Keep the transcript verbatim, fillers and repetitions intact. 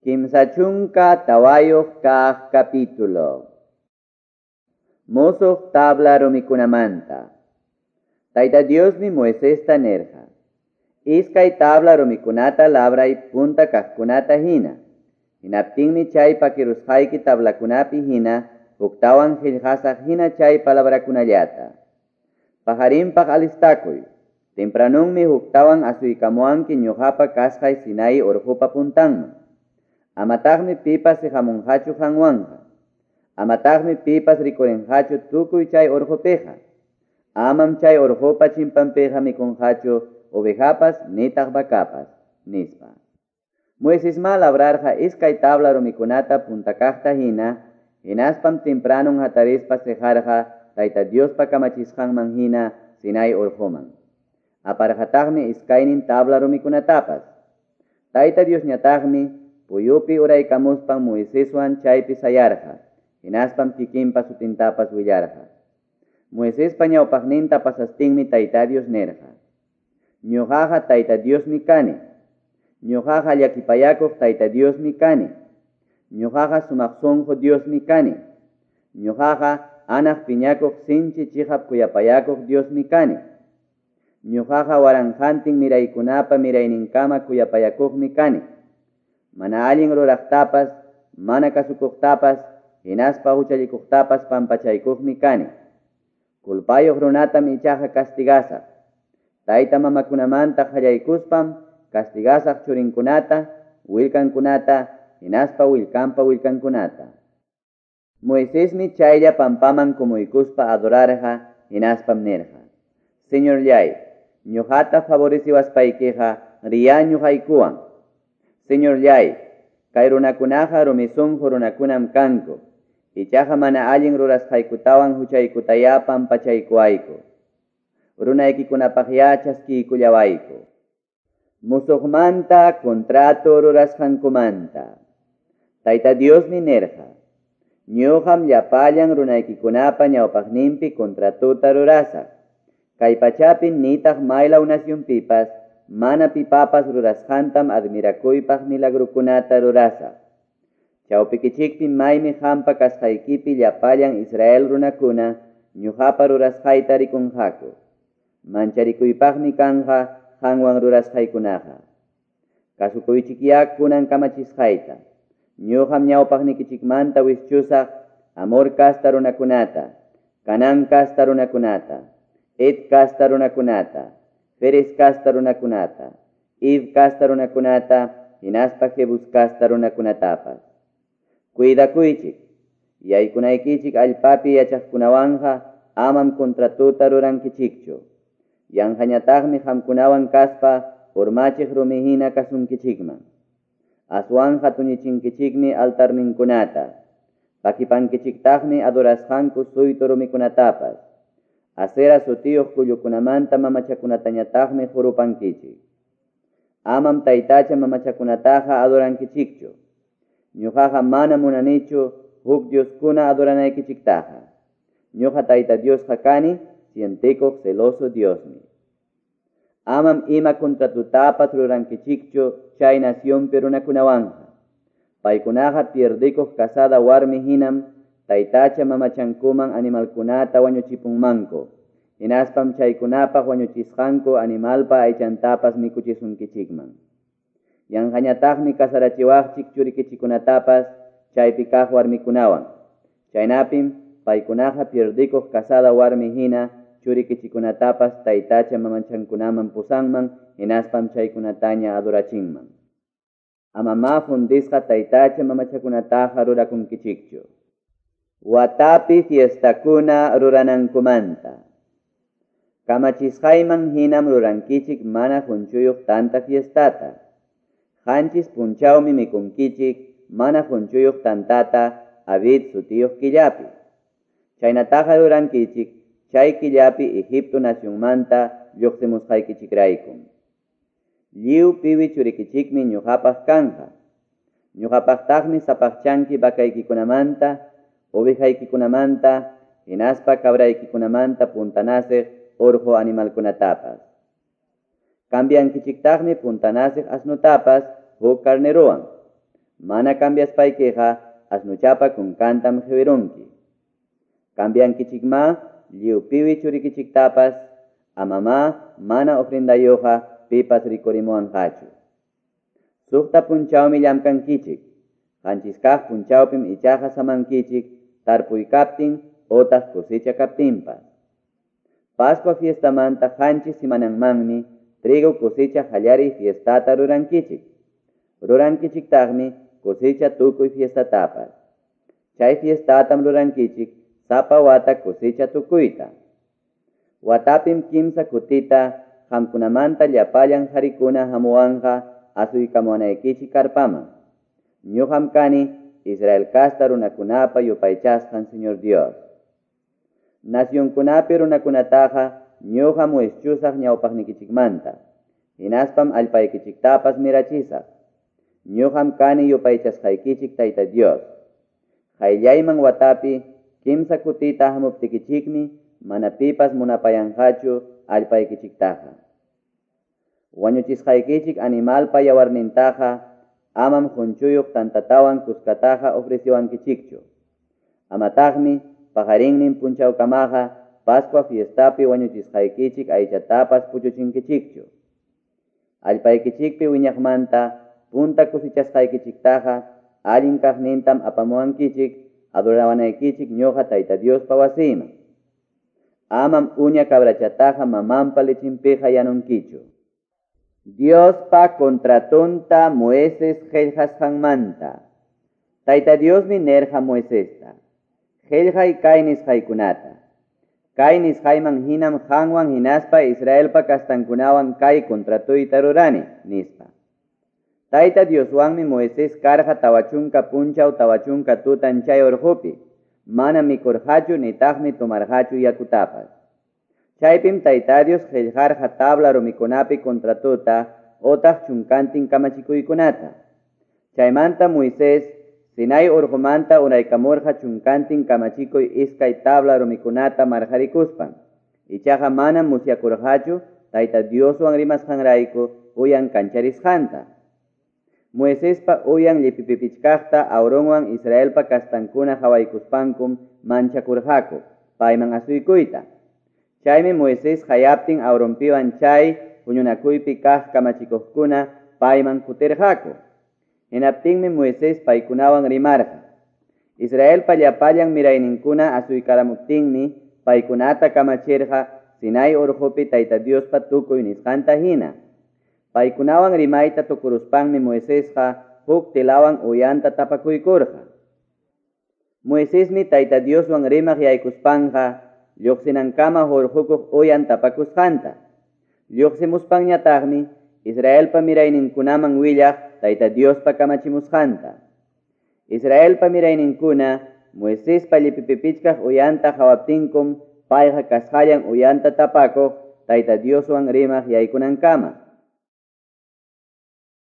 Kimsa chunka tawayuq kaq capítulo. Musuq tabla rumikunamanta. Tayta Diosmi Moisesta nirqa: Iskay tabla rumikunata labray punta kaqkunata hina. Hinaptinmi chay pakirusqayki tablakunapi hina huktawan qillqasaq hina chay palabrakunallata. Pajarinpaq alistakuy. Tempranunmi huktawan asuykamuanki ñuqapa kasqay Sinai urqupa puntanman. Amataqmi pipas siqamunqachu qanwanqa. Amataqmi pipas rikurinqachu tukuy chay urqupiqa. Amam chay urqupa chimpanpiqa mikunqachu ovejapas nitaq vacapas, nispa. Moisesma labrarqa iskay tabla rumikunata puntakaqta hina, hinaspam tempranun hatarispa siqarqa Tayta Diospa kamachisqanman hina Sinai urquman. Aparqataqmi iskaynin tabla rumikunatapas. Tayta Diosñataqmi puyupi uraykamuspan Moiseswan chaypi sayarqa, hinaspam kikinpa sutintapas willarqa. Moisespa ñawpaqninta pasastinmi Tayta Dios nirqa: Ñuqaqa Tayta Diosmi kani. Ñuqaqa llakipayakuq Tayta Diosmi kani. Ñuqaqa sumaq sunqu Diosmi kani. Ñuqaqa anaq piñakuq sinchi chiqap kuyapayakuq Diosmi kani. Ñuqaqa waranqantin miraykunapa mirayninkama kuyapayakuqmi kani. Mana allin ruraqtapas, mana kasukuqtapas, hinaspa huchallikuqtapas pampachaykuqmi kani. Culpayuq runatam ichaqa castigasaq. Tayta mamakunamanta qallaykuspam castigasaq churinkunata, willkankunata, hinaspa willkanpa willkankunata. Moisesmi chaylla pampaman kumuykuspa adorarqa, hinaspam nirqa: Señorllay, ñuqata favoreciwaspaykiqa riya ñuqaykuwan. Señorllay, kay runakunaqa rumi sunqu runakunam kanku. Ichaqa mana allin rurasqaykutawan huchaykutayá pampachaykuwayku. Runaykikunapaqyá chaskiykullawayku. Musuqmanta contrato rurasqankumanta. Tayta Diosmi nirqa: Ñuqam llapallan runaykikunapa ñawpaqninpi contratota rurasaq. Kay pachapi nitaq maylaw nacionpipas mana pipapas rurasqantam admirakuypaq milagrukunata rurasaq. Chawpikichikpi maymi qampa kasqaykipi llapallan Israel runakuna ñuqapa rurasqayta rikunqaku. Mancharikuypaqmi kanqa qanwan rurasqaykunaqa. Kasukuychikyá kunan kamachisqayta. Ñuqam ñawpaqnikichikmanta wischusaq Amor kasta runakunata, Canán kasta runakunata, Het kasta runakunata, Feres kasta runakunata, Hiv kasta runakunata, hinaspa Jebus kasta runakunatapas. Cuidakuychik, yaykunaykichik allpapi yachaqkunawanqa amam contratota rurankichikchu. Yanqañataqmi qamkunawan kaspa urmachiq rumi hina kasunkichikman. Aswanqa tuñichinkichikmi altarninkunata, pakipankichiktaqmi adorasqanku suytu rumikunatapas. Asera sutiyuq kullukunamanta mamachakunatañataqmi qurupankichik. Amam taytacha mamachakunataqa adorankichikchu. Ñuqaqa mana munanichu huk dioskuna adoranaykichiktaqa. Ñuqa Tayta Diosqa kani, sientikuq celoso Diosmi. Amam ima contratutapas rurankichikchu chay nacionpi runakunawanqa. Paykunaqa pierdikuq casada warmi hinam taytacha mamachankuman animalkunata wañuchipunmanku. Hinaspam chaykunapaq wañuchisqanku animalpa aychantapas mikuchisunkichikman. Yanqañataqmi kasarachiwaqchik churikichikunatapas chaypi kaq warmikunawan. Chaynapim paykunaqa pierdikuq casada warmi hina churikichikunatapas taytacha mamachankunaman pusanman, hinaspam chaykunataña adorachinman. Amamá fundisqa taytacha mamachakunataqa rurakunkichikchu. Watapi fiestakuna ruranankumanta. Kamachisqayman hinam rurankichik mana qunchuyuq tanta fiestata. Qanchis punchawmi mikunkichik mana qunchuyuq tantata Abid sutiyuq killapi. Chaynataqa rurankichik chay killapi Egipto nacionmanta lluqsimusqaykichikraykum. Lliw piwi churikichikmi ñuqapaq kanqa. Ñuqapaqtaqmi sapaqchanki vakaykikunamanta, ovejaykikunamanta, hinaspa cabraykikunamanta puntanasiq urqu animalkunatapas. Cambiankichiktaqmi puntanasiq asnutapas huk carnerowan. Mana cambiaspaykiqa asnuchapa kunkantam qiwirunki. Cambiankichikma lliw piwi churikichiktapas, amamá mana ofrendayuqqa pipas rikurimuwanqachu. Suqta punchawmi llamkankichik, qanchis kaq punchawpim ichaqa samankichik tarpuy kaptin otaq cosecha kaptinpas. Pascua fiestamanta qanchis simananmanmi trigo cosecha qallariy fiestata rurankichik. Rurankichiktaqmi cosecha tukuy fiestatapas. Chay fiestatam rurankichik sapa wata cosecha tukuyta. Watapim kimsa kutita qamkunamanta llapallan qarikuna hamuwanqa asuykamuwanaykichik karpaman. Ñuqam kani Israel casta runakunapa yupaychasqan Señor Dios. Nacionkunapi runakunataqa ñuqam wischusaq ñawpaqnikichikmanta. Hinaspam allpaykichiktapas mirachisaq. Ñuqam kani yupaychasqaykichik Tayta Dios. Qayllayman watapi kimsa kutita hamuptikichikmi mana pipas munapayanqachu allpaykichiktaqa. Wañuchisqaykichik animalpa yawarnintaqa amam qunchuyuq tantatawan kuskataqa ofreciwankichikchu. Amataqmi paqarinnin punchawkamaqa Pascua fiestapi wañuchisqaykichik aychatapas puchuchinkichikchu. Allpaykichikpi wiñaqmanta punta cosechasqaykichiktaqa allin kaqnintam apamuwankichik adorawanaykichik ñuqa Tayta Diospa wasiyman. Amam uña cabrachataqa mamanpa lichinpiqa yanunkichu. Diospa contratonta Moisés qillqasqanmanta. Tayta Diosmi nerqa Moisesta: Qillqay kay nisqaykunata. Kay nisqayman hinam qanwan hinaspa Israelpa kastankunawan kay contratuyta rurani, nispa. Tayta Dioswanmi Moisés karqa tawachunka punchaw tawachunka tutan chay urqupi. Mana mikurqachu nitaqmi tomarqachu yakutapas. Chaypim Tayta Dios qillqarqa tabla rumikunapi contratuta otaq chunkantin kamachikuykunata. Chaymanta Moisés Sinai urqumanta uraykamurqa chunkantin kamachikuy iskay tabla rumikunata marqarikuspan. Ichaqa manam musyakurqachu Tayta Dioswan rimasqanrayku uyan kancharisqanta. Moisespa uyan llipipipichkaqta Aaronwan Israelpa kastankuna qawaykuspankum manchakurqaku payman asuykuyta. Chaymi Moisés qayaptin Aaronpiwan chay huñunakuypi kaq kamachikuqkuna payman kutirqaku. Hinaptinmi Moisés paykunawan rimarqa. Israelpa llapallan mirayninkuna asuykaramuptinmi paykunata kamachirqa Sinai urqupi Tayta Diospa tukuy nisqanta hina. Paykunawan rimayta tukuruspanmi Moisesqa huk tilawan uyanta tapakuykurqa. Moisesmi Tayta Dioswan rimaq yaykuspanqa lluqsinankama hurqukuq uyan tapakusqanta. Lluqsimuspanñataqmi Israelpa mirayninkunaman willaq Tayta Diospa kamachimusqanta. Israelpa mirayninkuna Moisespa llipipipichkaq uyanta qawaptinkum payqa kasqallan uyanta tapakuq Tayta Dioswan rimaq yaykunankama.